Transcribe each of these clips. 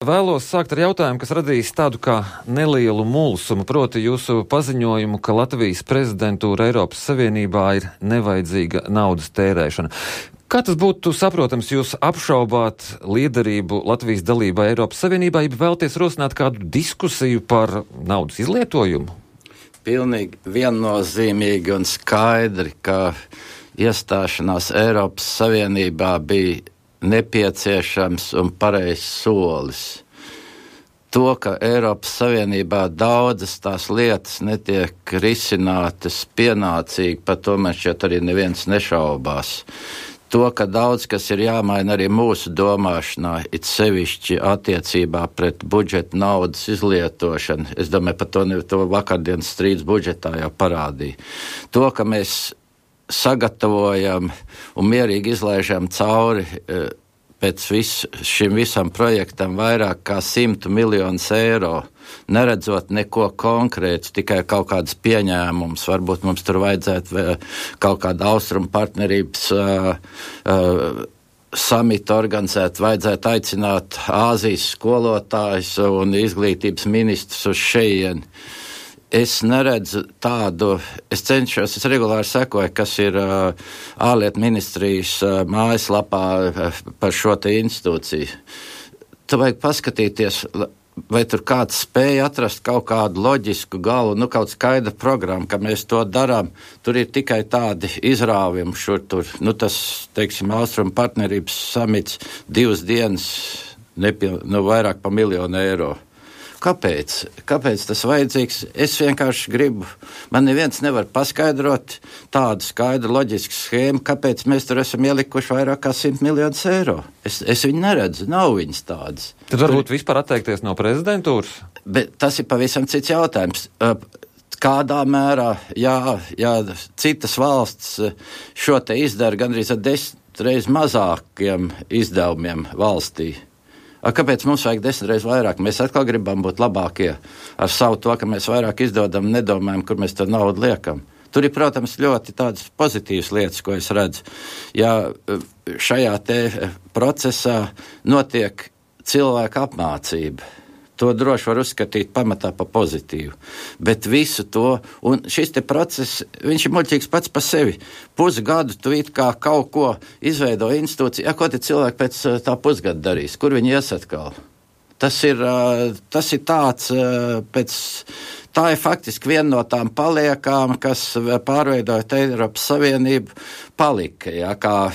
vēlos sākt ar jautājumu, kas radīs tādu kā nelielu mulsumu, proti jūsu paziņojumu, ka Latvijas prezidentūra Eiropas Savienībā ir nevajadzīga naudas tērēšana. Kā tas būtu saprotams, jūs apšaubāt liederību Latvijas dalībā Eiropas Savienībā, ja vēlties rosināt kādu diskusiju par naudas izlietojumu? Pilnīgi viennozīmīgi un skaidri, ka iestāšanās Eiropas Savienībā bija nepieciešams un pareizs solis. To, ka Eiropas Savienībā daudzas tās lietas netiek risinātas pienācīgi, par to man šķiet arī neviens nešaubās. To, ka daudz kas ir jāmaina arī mūsu domāšanā, it sevišķi attiecībā pret budžeta naudas izlietošanu. Es domāju, par to vakardienas strīds budžetā jau parādīja. To, ka mēs sagatavojam un mierīgi izlaižam cauri pēc šim visam projektam vairāk kā 100 miljonus eiro, neredzot neko konkrētu, tikai kaut kādas pieņēmumus. Varbūt mums tur vajadzētu kaut kādu austrumu partnerības samitu organizēt, vajadzētu aicināt Āzijas skolotājus un izglītības ministrus uz šejieni. Es neredzu tādu, es regulāri sekoju, kas ir ārlietu ministrijas mājaslapā par šo te institūciju. Tu vajag paskatīties, vai tur kāds spēja atrast kaut kādu loģisku galu, kaut skaidru programmu, ka mēs to darām. Tur ir tikai tādi izrāvumi šur tur. Tas, teiksim, austrumu partnerības samits 2 dienas, vairāk pa 1 miljonu eiro. Kāpēc? Kāpēc tas vajadzīgs? Es vienkārši gribu, man neviens nevar paskaidrot tādu skaidru loģisku schēmu, kāpēc mēs tur esam ielikuši vairāk kā 100 miljonus eiro. Es viņu neredzu, nav viņas tādas. Tad varbūt vispār atteikties no prezidentūras? Bet tas ir pavisam cits jautājums. Kādā mērā, jā, citas valsts šo te izdara gandrīz ar 10 reizes mazākiem izdevumiem valstī. Kāpēc mums vajag 10 reizes vairāk? Mēs atkal gribam būt labākie ar savu to, ka mēs vairāk izdodam, nedomājam, kur mēs to naudu liekam. Tur ir, protams, ļoti tādas pozitīvas lietas, ko es redzu. Ja šajā te procesā notiek cilvēka apmācība, to droši var uzskatīt pamatā pa pozitīvu. Bet visu to, un šis te process, viņš ir muļķīgs pats pa sevi. Pusgadu tu it kā kaut ko izveido institūciju, ko te cilvēki pēc tā pusgada darīs, kur viņi ies atkal? Tas ir tāds, tā ir faktiski viena no tām paliekām, kas pārveidojot Eiropas Savienību palika, kā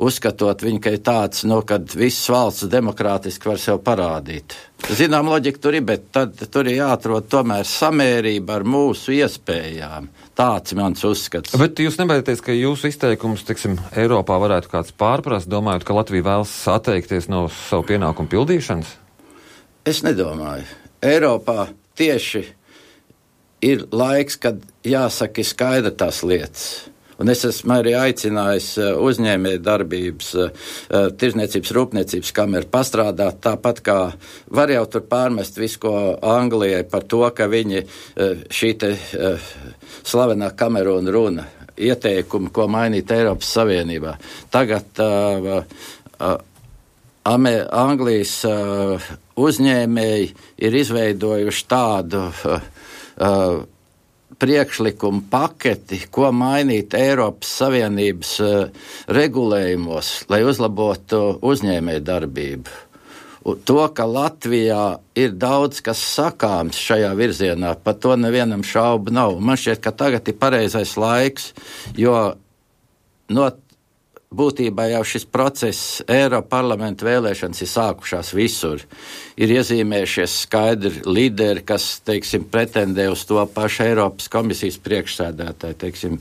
uzskatot viņu, ka ir tāds, kad visas valsts demokrātiski var sev parādīt. Zinām, loģika tur ir, bet tad tur ir jāatrod tomēr samērība ar mūsu iespējām. Tāds mans uzskats. Bet jūs nebaidieties, ka jūsu izteikums, Eiropā varētu kāds pārprast, domājot, ka Latvija vēlas atteikties no savu pienākumu pildīšanas? Es nedomāju. Eiropā tieši ir laiks, kad jāsaka skaidra tās lietas. Un es esmu arī aicinājis uzņēmēju darbības, tirzniecības, rūpniecības kameru pastrādāt, tāpat kā var jau tur pārmest visu, ko Anglijai par to, ka viņi šī te slavenā Kamerūna runa, ieteikumi, ko mainīt Eiropas Savienībā. Tagad Anglijas uzņēmēji ir izveidojuši tādu priekšlikumu paketi, ko mainīt Eiropas Savienības regulējumos, lai uzlabotu uzņēmēju darbību. To, ka Latvijā ir daudz kas sakāms šajā virzienā, par to nevienam šaubu nav. Man šķiet, ka tagad ir pareizais laiks, jo būtībā jau šis process, Eiroparlamenta vēlēšanas ir sākušās visur. Ir iezīmējušies skaidri līderi, kas, pretendē uz to pašu Eiropas komisijas priekšsēdētāju,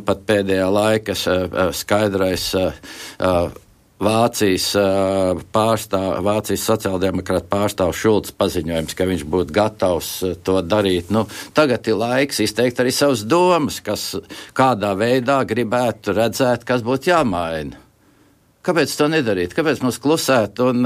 pat pēdējā laika skaidrais Vācijas sociāldemokrāta pārstāvs Šulcs paziņojums, ka viņš būtu gatavs to darīt. Tagad ir laiks izteikt arī savas domas, kas kādā veidā gribētu redzēt, kas būtu jāmaina. Kāpēc to nedarīt? Kāpēc mums klusēt un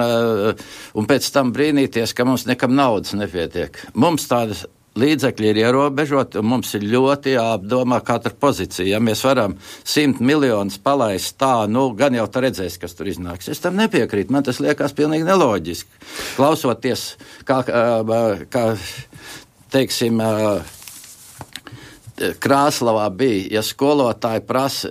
pēc tam brīnīties, ka mums nekam naudas nepietiek? Mums tādas līdzekļi ir ierobežoti, un mums ir ļoti jāapdomā katra pozīcija. Ja mēs varam 100 miljonus palaist tā, gan jau tā redzēs, kas tur iznāks. Es tam nepiekrītu, man tas liekas pilnīgi neloģiski. Klausoties, kā teiksim, Krāslavā bija, ja skolotāji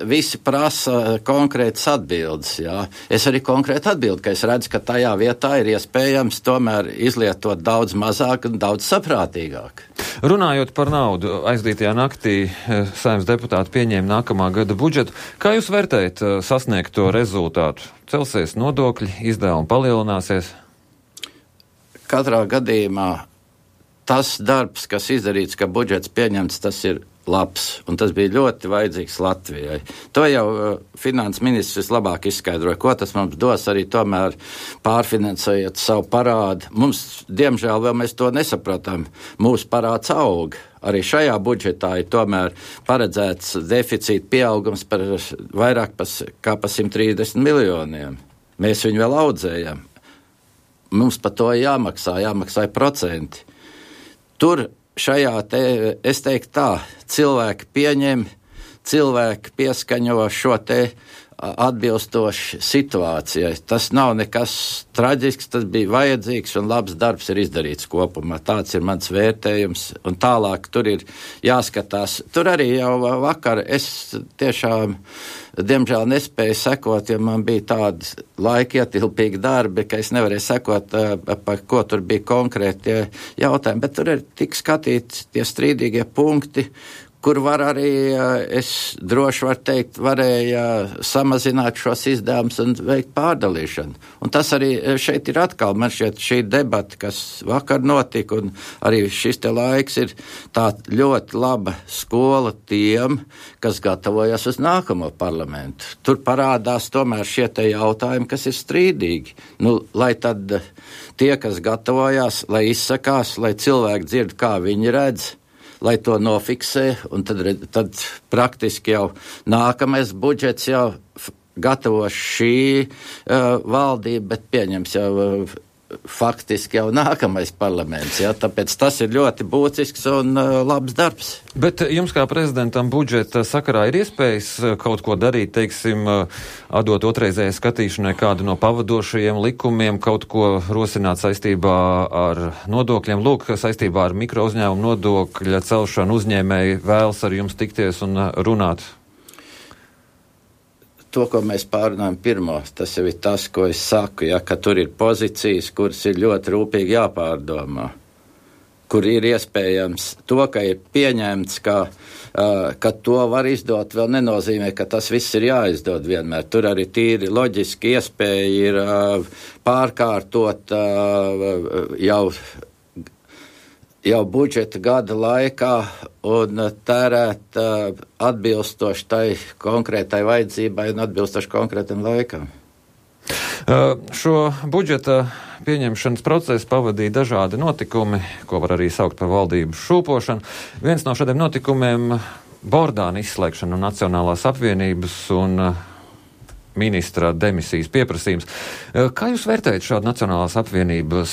visi prasa konkrētas atbildes. Jā. Es arī konkrēti atbildu, ka es redzu, ka tajā vietā ir iespējams tomēr izlietot daudz mazāk un daudz saprātīgāk. Runājot par naudu, aizdītajā naktī Saeimas deputāti pieņēma nākamā gada budžetu. Kā jūs vērtējat sasniegto rezultātu? Celsies nodokļi, izdevumi palielināsies? Katrā gadījumā tas darbs, kas izdarīts, ka budžets pieņemts, tas ir labs, un tas bija ļoti vajadzīgs Latvijai. To jau finanses ministrs labāk izskaidroja, ko tas mums dos, arī tomēr pārfinansējot savu parādu. Mums, diemžēl, vēl mēs to nesapratam, mūsu parāds aug. Arī šajā budžetā ir tomēr paredzēts deficīta pieaugums par vairāk kā pa 130 miljoniem. Mēs viņu vēl audzējam. Mums par to jāmaksā procenti. Tur šajā es teiktu tā, cilvēki pieņem, cilvēki pieskaņo šo te atbilstoši situācijai. Tas nav nekas traģisks, tas bija vajadzīgs un labs darbs ir izdarīts kopumā. Tāds ir mans vērtējums, un tālāk tur ir jāskatās. Tur arī jau vakar es tiešām, diemžēl, nespēju sekot, jo man bija tādi laikietilpīgi darbi, ka es nevarēju sekot, par ko tur bija konkrēti jautājumi, bet tur ir tik skatīti tie strīdīgie punkti, kur var arī, es droši varu teikt, varēja samazināt šos izdevumus un veikt pārdalīšanu. Un tas arī šeit ir atkal, man šķiet, šī debata, kas vakar notika, un arī šis te laiks ir tā ļoti laba skola tiem, kas gatavojas uz nākamo parlamentu. Tur parādās tomēr šie te jautājumi, kas ir strīdīgi. Lai tad tie, kas gatavojās, lai izsakās, lai cilvēki dzird, kā viņi redz, lai to nofiksē, un tad praktiski jau nākamais budžets jau gatavos šī valdība, bet pieņems jau faktiski jau nākamais parlaments. Ja? Tāpēc tas ir ļoti būtisks un labs darbs. Bet jums kā prezidentam budžeta sakarā ir iespējas kaut ko darīt, teiksim, atdot otrreizējai skatīšanai kādu no pavadošajiem likumiem, kaut ko rosināt saistībā ar nodokļiem. Lūk, saistībā ar mikro uzņēmumu nodokļa celšanu uzņēmēji vēlas ar jums tikties un runāt. To, ko mēs pārunājam pirmo, tas jau ir tas, ko es saku, ja, ka tur ir pozīcijas, kuras ir ļoti rūpīgi jāpārdomā, kur ir iespējams to, ka ir pieņemts, ka to var izdot, vēl nenozīmē, ka tas viss ir jāizdod vienmēr. Tur arī tīri loģiski iespēja ir pārkārtot jau budžeta gada laikā un tērēt atbilstoši tai konkrētai vajadzībai un atbilstoši konkrētam laikam. Šo budžeta pieņemšanas procesu pavadīja dažādi notikumi, ko var arī saukt par valdības šūpošanu. Viens no šādiem notikumiem - Bordāna izslēgšana no Nacionālās apvienības un ministra demisijas pieprasījums. Kā jūs vērtējat šādu Nacionālās apvienības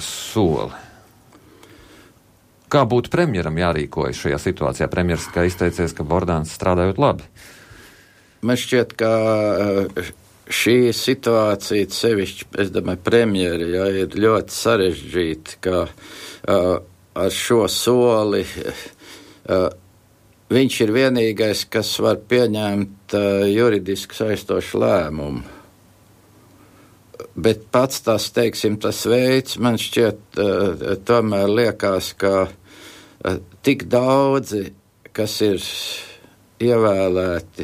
soli? Kā būtu premjeram jārīkojas šajā situācijā? Premjers kā izteicies, ka Bordāns strādājot labi. Man šķiet, ka šī situācija sevišķi, es domāju, premjeri, ir ļoti sarežģīta, ka ar šo soli viņš ir vienīgais, kas var pieņemt juridiski saistošu lēmumu. Bet pats tas, teiksim, tas veids, man šķiet, tomēr liekas, ka tik daudzi, kas ir ievēlēti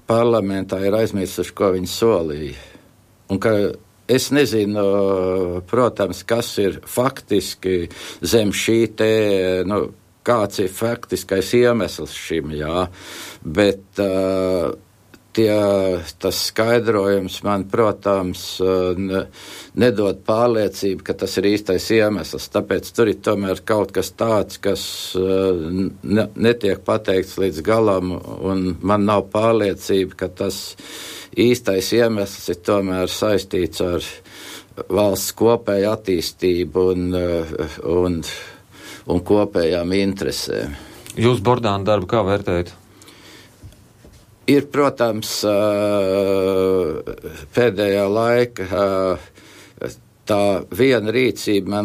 parlamentā, ir aizmirsuši, ko viņi solīja. Un ka es nezinu, protams, kas ir faktiski zem šī te, kāds ir faktiskais iemesls šim, jā, bet tas skaidrojums man, protams, nedod pārliecību, ka tas ir īstais iemesls. Tāpēc tur ir tomēr kaut kas tāds, kas netiek pateikts līdz galam, un man nav pārliecība, ka tas īstais iemesls ir tomēr saistīts ar valsts kopēju attīstību un un kopējām interesēm. Jūs Bordāna darbu kā vērtējat? Ir, protams, pēdējā laika tā viena rīcība,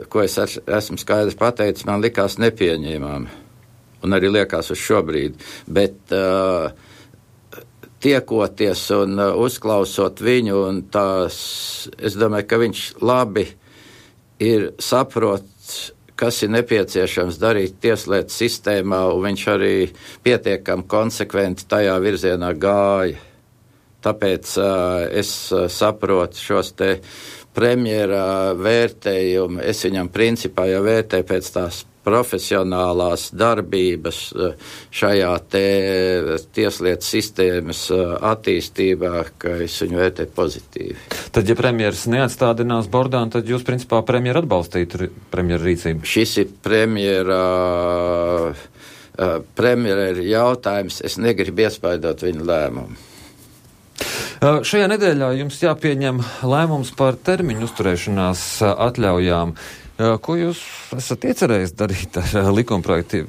ko es esmu skaidrs pateicis, man likās nepieņēmama. Un arī liekas uz šobrīd. Bet tiekoties un uzklausot viņu, un es domāju, ka viņš labi ir saprots, kas ir nepieciešams darīt tieslietu sistēmā, un viņš arī pietiekami konsekventi tajā virzienā gāja. Tāpēc es saprotu šos te premjera vērtējumu. Es viņam principā jau vērtēju pēc tās profesionālās darbības šajā te tieslietu sistēmas attīstībā, ka es viņu vērtēju pozitīvi. Tad, ja premjeras neatstādinās Bordānu, tad jūs principā premjeru atbalstītu premjeru rīcību? Šis ir premjera jautājums. Es negribu iespaidot viņu lēmumu. Šajā nedēļā jums jāpieņem lēmums par termiņu uzturēšanās atļaujām. Ko jūs esat iecerējis darīt ar likumprojektu?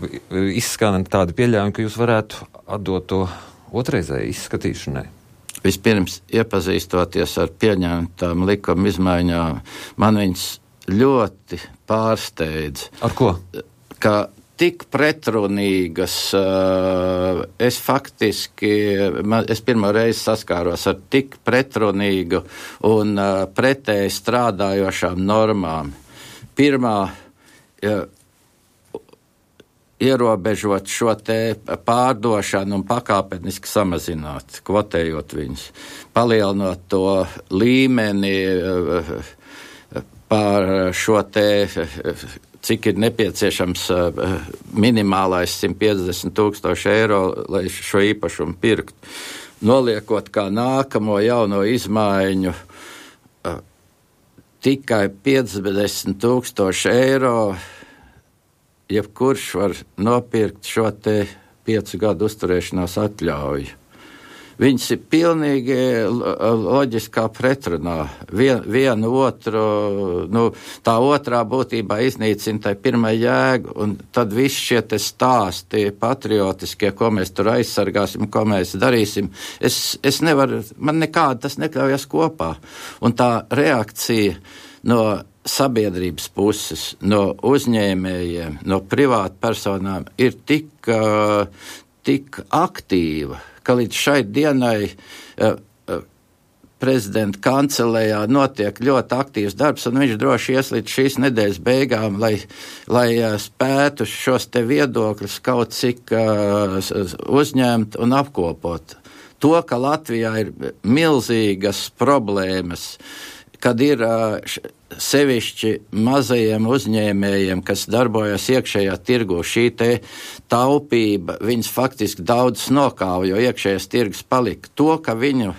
Izskan tādi pieļaujumi, ka jūs varētu atdot to otrreizēji izskatīšanai. Vispirms, iepazīstoties ar pieņemtām likuma izmaiņām, man viņas ļoti pārsteidz. Ar ko? Ka tik pretrunīgas, es pirmo reizi saskāros ar tik pretrunīgu un pretēji strādājošām normām. Pirmā, ierobežot šo te pārdošanu un pakāpeniski samazināt, kvotējot viņus, palielinot to līmeni par šo te, cik ir nepieciešams minimālais 150,000 eiro, lai šo īpašumu pirkt. Noliekot kā nākamo jauno izmaiņu tikai 50,000 eiro, jebkurš var nopirkt šo te 5 gadu uzturēšanās atļauju. Viņas ir pilnīgi loģiskā pretrunā. Vienu otru, tā otrā būtībā iznīcina tai pirmai jēgu, un tad visi šie te stāsti patriotiskie, ko mēs tur aizsargāsim, ko mēs darīsim, es nevaru, man nekādi tas nekļaujas kopā. Un tā reakcija no sabiedrības puses, no uzņēmējiem, no privātpersonām ir tik aktīva, ka līdz šai dienai prezidenta kancelējā notiek ļoti aktīvs darbs, un viņš droši ies līdz šīs nedēļas beigām, lai spētu šos te viedokļus kaut cik uzņemt un apkopot. To, ka Latvijā ir milzīgas problēmas, kad ir sevišķi mazajiem uzņēmējiem, kas darbojas iekšējā tirgu, šī te taupība, viņas faktiski daudz nokāva, jo iekšējais tirgus palika. To, ka viņu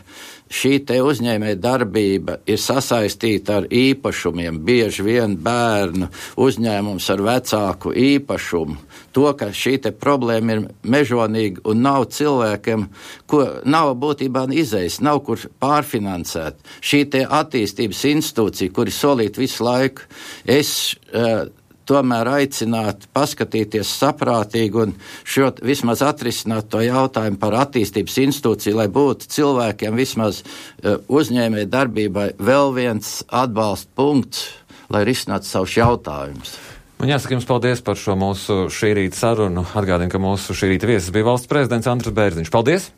šī te uzņēmēja darbība ir sasaistīta ar īpašumiem, bieži vien bērnu uzņēmums ar vecāku īpašumu. To, ka šī te problēma ir mežonīga un nav cilvēkiem, ko nav būtībā izejas, nav kur pārfinansēt. Šī te attīstības institūcija, kuri solīt visu laiku, es tomēr aicinātu paskatīties saprātīgi un vismaz atrisināt to jautājumu par attīstības institūciju, lai būtu cilvēkiem vismaz uzņēmēja darbībai vēl viens atbalsta punkts, lai risinātu savus jautājumus. Man jāsaka jums paldies par šo mūsu šī rīta sarunu. Atgādinu, ka mūsu šī rīta viesis bija valsts prezidents Andris Bērziņš. Paldies!